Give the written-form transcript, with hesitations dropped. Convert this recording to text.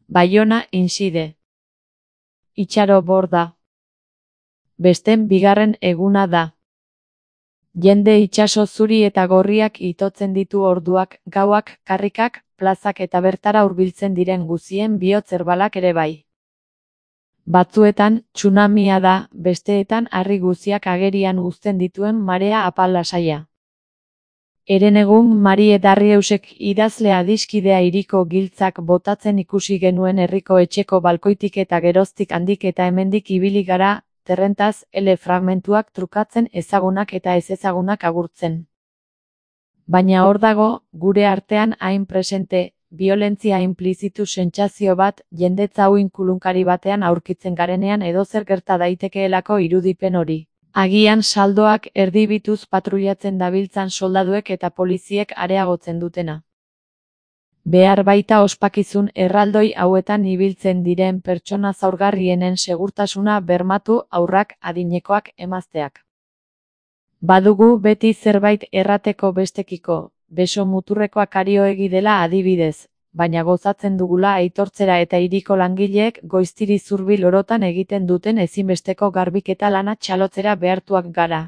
Baiona inside. Itxaro borda. Besten bigarren eguna da. Jende itsaso zuri eta gorriak itotzen ditu orduak, gauak, karrikak, plazak eta bertara hurbiltzen diren guzien bihotz erbalak ere bai. Batzuetan, tsunamia da, besteetan harri guziak agerian uzten dituen marea apal lasaia. Herenegun Marie Darrieusek idazle adiskidea hiriko giltzak botatzen ikusi genuen herriko etxeko balkoitik eta geroztik handik eta hemendik ibili gara, terrentaz, fragmentuak trukatzen ezagunak eta ezezagunak agurtzen. Baina hor dago, gure artean hain presente, biolentzia inplizitu sentsazio bat, jendetza hau inkulunkari batean aurkitzen garenean edozer gerta daitekeelako irudipen hori. Agian saldoak erdibituz patrullatzen dabiltzan soldaduek eta poliziek areagotzen dutena. Behar baita ospakizun erraldoi hauetan ibiltzen diren pertsona zaurgarrienen segurtasuna bermatu haurrak, adinekoak, emazteak. Badugu beti zerbait errateko bestekiko, beso muturrekoak arioegi dela adibidez, baina gozatzen dugula aitortzera eta hiriko langileek goiztiri zurbil orotan egiten duten ezinbesteko garbiketa lana txalotzera behartuak gara.